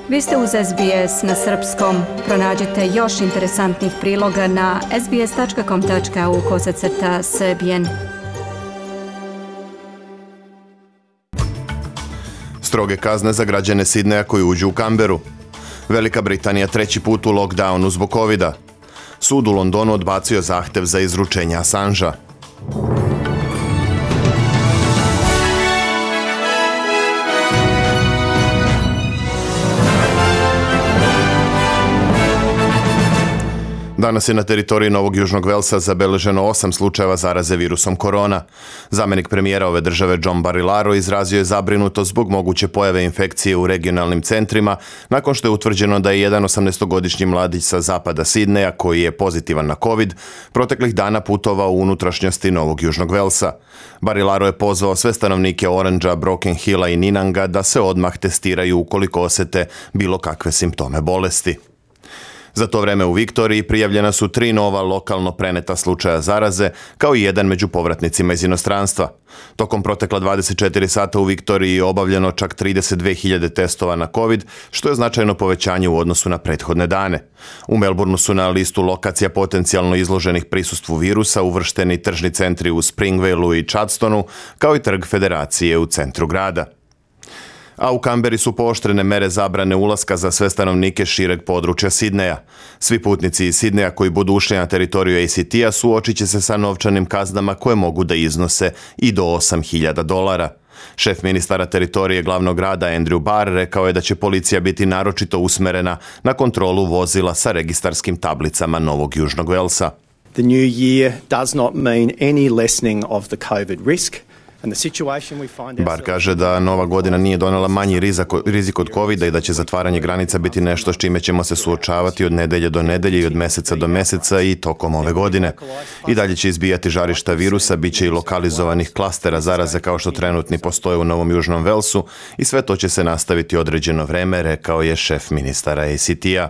Vi ste uz SBS na srpskom. Pronađite još interesantnih priloga na sbs.com.au/srbijen. Stroge kazne za građane Sidneja koji uđu u Canberu. Velika Britanija treći put u lockdownu zbog covida. Sud u Londonu odbacio zahtev za izručenje Assangea. Danas je na teritoriji Novog Južnog Velsa zabeleženo 8 slučajeva zaraze virusom korona. Zamjenik premijera ove države John Barilaro izrazio je zabrinutost zbog moguće pojave infekcije u regionalnim centrima nakon što je utvrđeno da je jedan 18-godišnji mladić sa zapada Sidneja koji je pozitivan na COVID proteklih dana putovao u unutrašnjosti Novog Južnog Velsa. Barilaro je pozvao sve stanovnike Orangea, Broken Hilla i Ninanga da se odmah testiraju ukoliko osjete bilo kakve simptome bolesti. Za to vreme u Viktoriji prijavljena su 3 nova lokalno preneta slučaja zaraze, kao i jedan među povratnicima iz inostranstva. Tokom protekla 24 sata u Viktoriji je obavljeno čak 32.000 testova na COVID, što je značajno povećanje u odnosu na prethodne dane. U Melbourneu su na listu lokacija potencijalno izloženih prisustvu virusa uvršteni tržni centri u Springvaleu i Chadstonu, kao i trg Federacije u centru grada. A u Canberri su pooštrene mere zabrane ulaska za sve stanovnike šireg područja Sidneja. Svi putnici iz Sidneja koji budu ušli na teritoriju ACT-a suočit će se sa novčanim kaznama koje mogu da iznose i do $8.000. Šef ministara teritorije glavnog grada Andrew Barr rekao je da će policija biti naročito usmerena na kontrolu vozila sa registarskim tablicama Novog Južnog Velsa. The new year does not mean any lessening of the COVID risk. Bar kaže da nova godina nije donela manji rizik od covida i da će zatvaranje granica biti nešto s čime ćemo se suočavati od nedelje do nedelje i od meseca do meseca i tokom ove godine. I dalje će izbijati žarišta virusa, bit će i lokalizovanih klastera zaraze kao što trenutni postoje u Novom Južnom Velsu i sve to će se nastaviti određeno vreme, rekao je šef ministara ACT-a.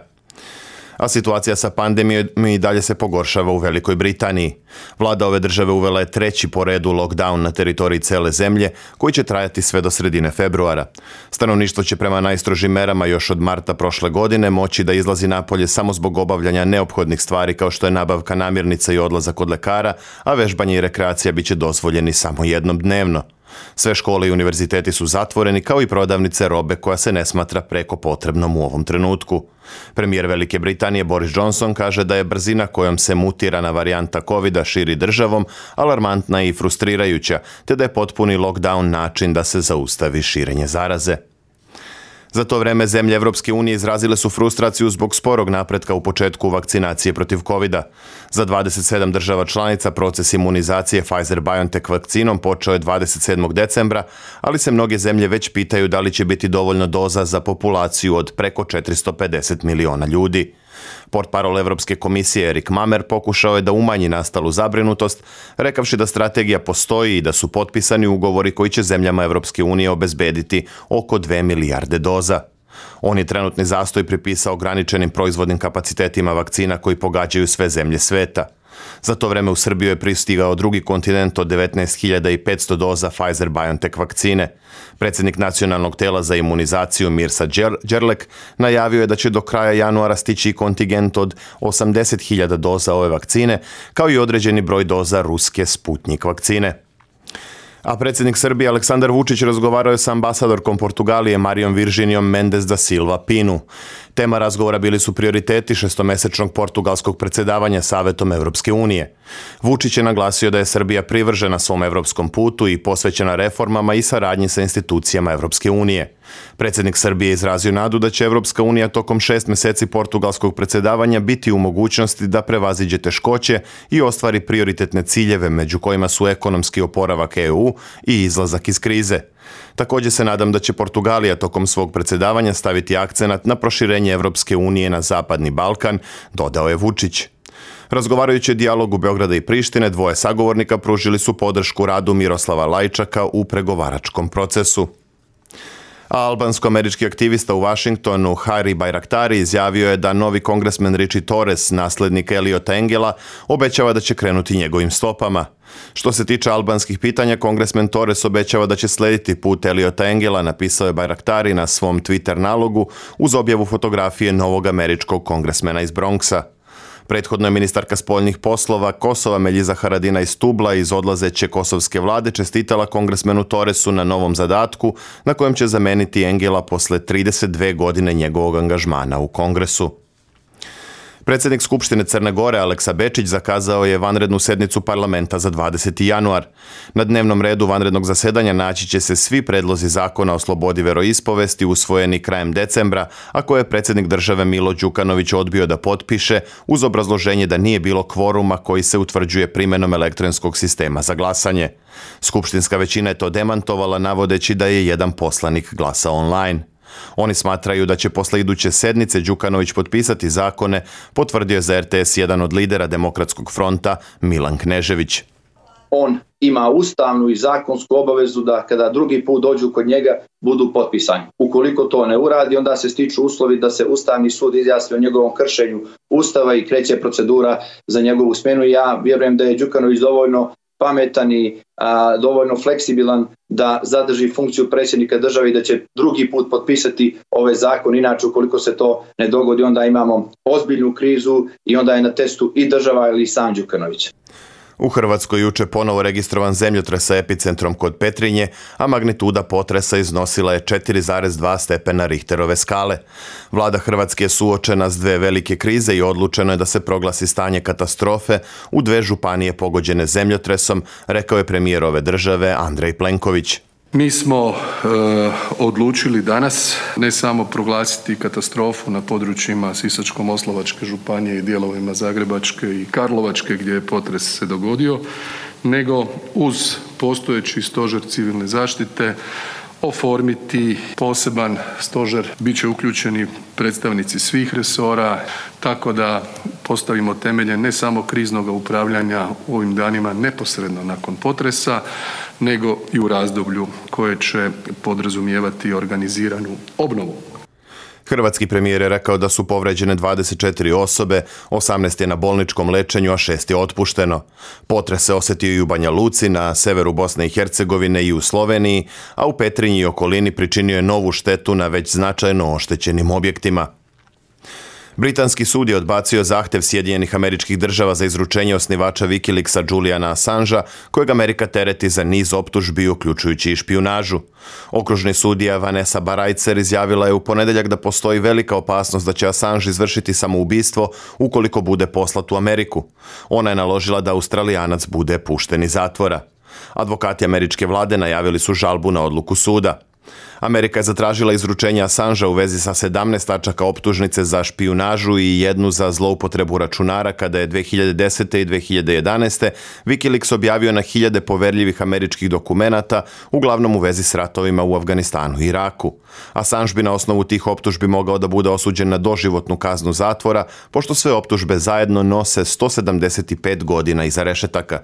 A situacija sa pandemijom i dalje se pogoršava u Velikoj Britaniji. Vlada ove države uvela je treći po redu lockdown na teritoriji cele zemlje, koji će trajati sve do sredine februara. Stanovništvo će prema najstrožim merama još od marta prošle godine moći da izlazi napolje samo zbog obavljanja neophodnih stvari kao što je nabavka namirnica i odlazak kod lekara, a vežbanje i rekreacija bit će dozvoljeni samo jednom dnevno. Sve škole i univerziteti su zatvoreni, kao i prodavnice robe koja se ne smatra preko potrebnom u ovom trenutku. Premijer Velike Britanije Boris Johnson kaže da je brzina kojom se mutirana varijanta covida širi državom alarmantna i frustrirajuća, te da je potpuni lockdown način da se zaustavi širenje zaraze. Za to vreme zemlje Evropske unije izrazile su frustraciju zbog sporog napretka u početku vakcinacije protiv covida. Za 27 država članica proces imunizacije Pfizer-BioNTech vakcinom počeo je 27. decembra, ali se mnoge zemlje već pitaju da li će biti dovoljno doza za populaciju od preko 450 miliona ljudi. Portparol Evropske komisije Erik Mamer pokušao je da umanji nastalu zabrinutost, rekavši da strategija postoji i da su potpisani ugovori koji će zemljama Evropske unije obezbediti oko 2 milijarde doza. On je trenutni zastoj pripisao ograničenim proizvodnim kapacitetima vakcina koji pogađaju sve zemlje sveta. Za to vreme u Srbiju je pristigao drugi kontinent od 19.500 doza Pfizer-BioNTech vakcine. Predsjednik nacionalnog tela za imunizaciju Mirsa Đerlek najavio je da će do kraja januara stići kontingent od 80.000 doza ove vakcine, kao i određeni broj doza ruske Sputnik vakcine. A predsjednik Srbije Aleksandar Vučić razgovarao je sa ambasadorkom Portugalije Marijom Virginijom Mendes da Silva Pinu. Tema razgovora bili su prioriteti šestomesečnog portugalskog predsjedavanja Savetom Evropske unije. Vučić je naglasio da je Srbija privržena svom evropskom putu i posvećena reformama i saradnji sa institucijama Evropske unije. Predsjednik Srbije izrazio nadu da će Evropska unija tokom 6 meseci portugalskog predsjedavanja biti u mogućnosti da prevaziđe teškoće i ostvari prioritetne ciljeve, među kojima su ekonomski oporavak EU i izlazak iz krize. Također se nadam da će Portugalija tokom svog predsjedavanja staviti akcenat na proširenje Evropske unije na Zapadni Balkan, dodao je Vučić. Razgovarajući o dijalogu Beograda i Prištine, dvoje sagovornika pružili su podršku radu Miroslava Lajčaka u pregovaračkom procesu. A albansko-američki aktivista u Washingtonu Hari Bayraktari izjavio je da novi kongresmen Richie Torres, naslednik Eliota Engela, obećava da će krenuti njegovim stopama. Što se tiče albanskih pitanja, kongresmen Torres obećava da će slediti put Eliota Engela, napisao je Bayraktari na svom Twitter nalogu uz objavu fotografije novog američkog kongresmena iz Bronxa. Prethodno je ministarka spoljnih poslova Kosova Meljiza Haradina iz Tubla iz odlazeće kosovske vlade čestitala kongresmenu Torresu na novom zadatku na kojem će zameniti Engela posle 32 godine njegovog angažmana u Kongresu. Predsjednik Skupštine Crne Gore Aleksa Bečić zakazao je vanrednu sednicu parlamenta za 20. januar. Na dnevnom redu vanrednog zasedanja naći će se svi predlozi zakona o slobodi veroispovesti usvojeni krajem decembra, a koje je predsjednik države Milo Đukanović odbio da potpiše uz obrazloženje da nije bilo kvoruma koji se utvrđuje primjenom elektronskog sistema za glasanje. Skupštinska većina je to demantovala navodeći da je jedan poslanik glasao online. Oni smatraju da će posle iduće sednice Đukanović potpisati zakone, potvrdio je za RTS jedan od lidera Demokratskog fronta Milan Knežević. On ima ustavnu i zakonsku obavezu da kada drugi put dođu kod njega budu potpisani. Ukoliko to ne uradi, onda se stiču uslovi da se Ustavni sud izjasni o njegovom kršenju Ustava i kreće procedura za njegovu smjenu. Ja vjerujem da je Đukanović dovoljno pametan i dovoljno fleksibilan da zadrži funkciju predsjednika države i da će drugi put potpisati ovaj zakon. Inače, ukoliko se to ne dogodi, onda imamo ozbiljnu krizu i onda je na testu i država ili sam Đukanović. U Hrvatskoj juče ponovo registrovan zemljotres sa epicentrom kod Petrinje, a magnituda potresa iznosila je 4,2 stepena Richterove skale. Vlada Hrvatske je suočena s dve velike krize i odlučeno je da se proglasi stanje katastrofe u dve županije pogođene zemljotresom, rekao je premijer ove države Andrej Plenković. Mi smo odlučili danas ne samo proglasiti katastrofu na područjima Sisačko-moslavačke županije i dijelovima Zagrebačke i Karlovačke gdje je potres se dogodio, nego uz postojeći stožer civilne zaštite oformiti poseban stožer. Biće uključeni predstavnici svih resora, tako da postavimo temelje ne samo kriznog upravljanja u ovim danima neposredno nakon potresa, nego i u razdoblju koje će podrazumijevati organiziranu obnovu. Hrvatski premijer je rekao da su povređene 24 osobe, 18 je na bolničkom lečenju, a 6 je otpušteno. Potres se osjetio i u Banja Luci, na severu Bosne i Hercegovine i u Sloveniji, a u Petrinji i okolini pričinio je novu štetu na već značajno oštećenim objektima. Britanski sud je odbacio zahtjev Sjedinjenih Američkih Država za izručenje osnivača Wikileaksa Juliana Assangea, kojeg Amerika tereti za niz optužbi, uključujući i špijunažu. Okružni sudija Vanessa Barajcer izjavila je u ponedjeljak da postoji velika opasnost da će Assange izvršiti samoubistvo ukoliko bude poslat u Ameriku. Ona je naložila da Australijanac bude pušten iz zatvora. Advokati američke vlade najavili su žalbu na odluku suda. Amerika je zatražila izručenje Assangea u vezi sa 17 tačaka optužnice za špijunažu i jednu za zloupotrebu računara kada je 2010. i 2011. Wikileaks objavio na hiljade poverljivih američkih dokumenata, uglavnom u vezi s ratovima u Afganistanu i Iraku. Assange bi na osnovu tih optužbi mogao da bude osuđen na doživotnu kaznu zatvora, pošto sve optužbe zajedno nose 175 godina iza rešetaka.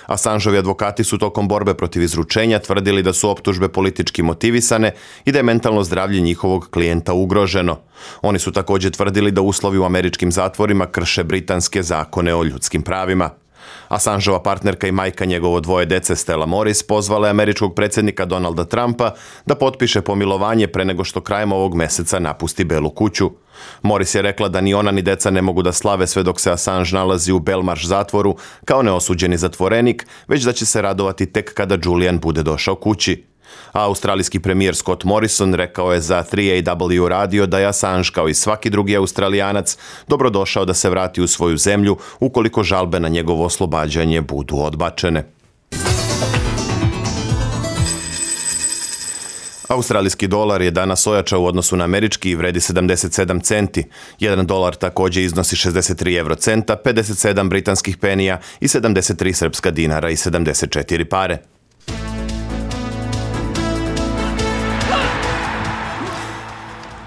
Assangeovi advokati su tokom borbe protiv izručenja tvrdili da su optužbe politički motivisane i da je mentalno zdravlje njihovog klijenta ugroženo. Oni su također tvrdili da uslovi u američkim zatvorima krše britanske zakone o ljudskim pravima. Assangeova partnerka i majka njegovo dvoje dece Stella Morris pozvala je američkog predsjednika Donalda Trumpa da potpiše pomilovanje pre nego što krajem ovog meseca napusti Belu kuću. Morris je rekla da ni ona ni deca ne mogu da slave sve dok se Assange nalazi u Belmarsh zatvoru kao neosuđeni zatvorenik, već da će se radovati tek kada Julian bude došao kući. A australijski premijer Scott Morrison rekao je za 3AW radio da je Assange kao i svaki drugi Australijanac dobrodošao da se vrati u svoju zemlju ukoliko žalbe na njegovo oslobađanje budu odbačene. Australijski dolar je danas ojačao u odnosu na američki i vredi 77 centi. 1 dolar također iznosi 63 eurocenta, 57 britanskih penija i 73 srpska dinara i 74 pare.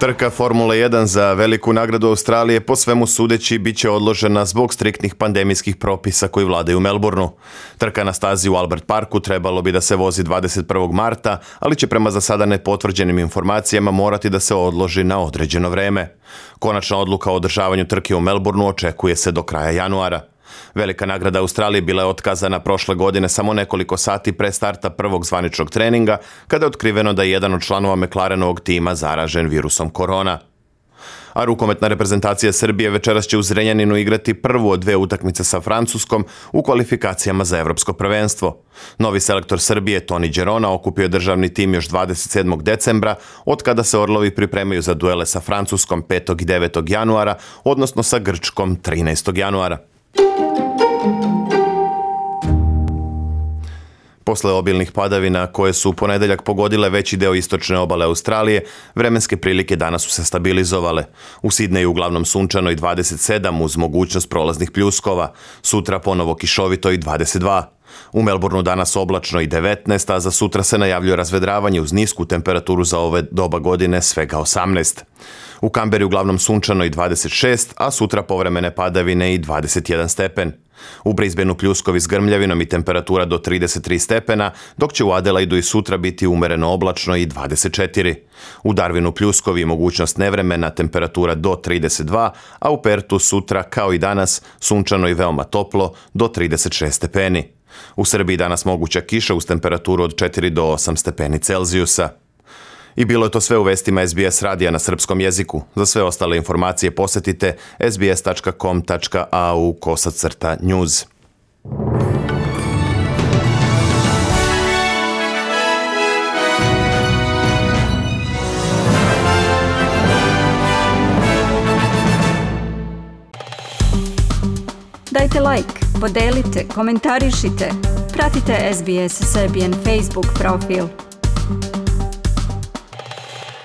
Trka Formule 1 za veliku nagradu Australije po svemu sudeći bit će odložena zbog striktnih pandemijskih propisa koji vladaju u Melbourneu. Trka na stazi u Albert Parku trebalo bi da se vozi 21. marta, ali će prema za sada nepotvrđenim informacijama morati da se odloži na određeno vreme. Konačna odluka o održavanju trke u Melbourneu očekuje se do kraja januara. Velika nagrada Australije bila je otkazana prošle godine samo nekoliko sati pre starta prvog zvaničnog treninga, kada je otkriveno da je jedan od članova McLarenovog tima zaražen virusom korona. A rukometna reprezentacija Srbije večeras će u Zrenjaninu igrati prvu od dve utakmice sa Francuskom u kvalifikacijama za evropsko prvenstvo. Novi selektor Srbije, Toni Đerona, okupio je državni tim još 27. decembra, od kada se Orlovi pripremaju za duele sa Francuskom 5. i 9. januara, odnosno sa Grčkom 13. januara. Posle obilnih padavina koje su u ponedeljak pogodile veći deo istočne obale Australije, vremenske prilike danas su se stabilizovale. U Sidneju uglavnom sunčano i 27 uz mogućnost prolaznih pljuskova, sutra ponovo kišovito i 22. U Melbourneu danas oblačno i 19, a za sutra se najavljuje razvedravanje uz nisku temperaturu za ove doba godine svega 18. U Kamberi uglavnom sunčano i 26, a sutra povremene padavine i 21 stepen. U Brisbaneu pljuskovi s grmljavinom i temperatura do 33 stepena, dok će u Adelaidu i sutra biti umereno oblačno i 24. U Darwinu pljuskovi i mogućnost nevremena, temperatura do 32, a u Pertu sutra, kao i danas, sunčano i veoma toplo do 36 stepeni. U Srbiji danas moguća kiša uz temperaturu od 4 do 8 stepeni Celzijusa. I bilo je to sve u vestima SBS radija na srpskom jeziku. Za sve ostale informacije posetite sbs.com.au/news. Dajte like, podelite, komentarišite. Pratite SBS Serbian Facebook profil.